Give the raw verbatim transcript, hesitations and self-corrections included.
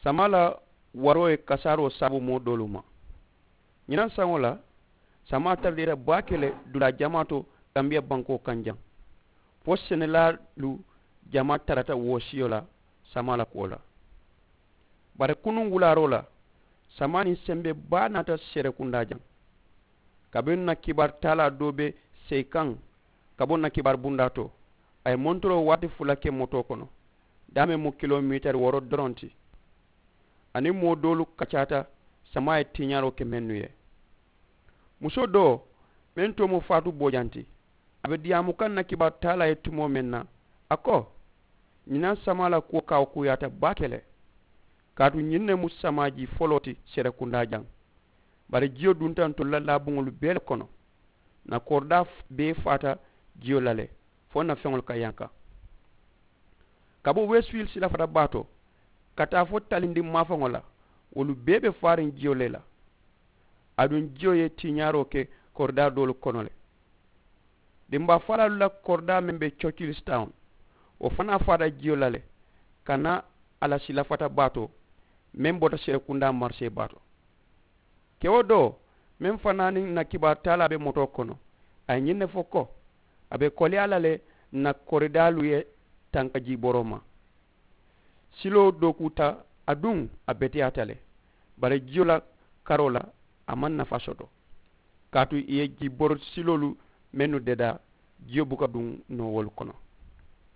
Samaa la waroo ye kasaaroo saabu moo doolu ma. Ñiŋ na saŋo la, samaa tara diita baake le dulaa jamaa to, kambiya bankoo kaŋ jaŋ. Fo senelaalu jamaa tarata wo siyo la samaa la kuwo la. Bari kunuŋ wulaaroo la, samaa niŋ sembee baa naata serekundaa jaŋ. Kabiriŋ na kibaaru taalaa doo be seyi kaŋ ka bo na kibaaru bundaa to, a ye montoroo waati fula ke motoo kono, daameŋ mu kilomitari wooro doroŋ ti. Aniŋ moo doolu kacaata, samaa ye tiiñaaroo ke mennu ye. Musoo doo meŋ toomoo faatu boojaŋ ti, a be diyaamu kaŋ na kibaaru taalaa ye tumoo meŋ na, a ko, ñiŋ na samaa la kuwo kaawukuuyaata baake le. Kaatu ñiŋ ne mu samaa jii foloo ti serekundaa jaŋ. Bari jiyo dunta ntolu la laabuŋolu bee le kono. Ǹ na koridaa bee faata jiyo la le, fo ǹ na feŋolu ka yanka. Ka bo wesfiili silafata baa to ka taa fo talindiŋ maafaŋo la, wolu bee be faariŋ jiyo le la. Aduŋ jiyo ye tiiñaaroo ke koridaa doolu kono le. Dimbaa faalaalu la koridaa meŋ be cocili sitawuŋ, wo fanaa faata jiyo la le, ka naa a la silafata baa to meŋ bota serekundaa marisee baa to. Kewo doo meŋ fanaa niŋ ǹ na kibaaru taalaa be motoo kono, a ye ñiŋ ne fo ko, a be koleyaa la le ǹ na koridaalu ye tanka jiiboroo ma. Siloo dookuuta, aduŋ a beteyaata le. Bari jiyo la karoo la, a maŋ nafaa soto, kaatu ì ye jiibori siloolu mennu dedaa, jiyo buka duŋ noo wolu kono.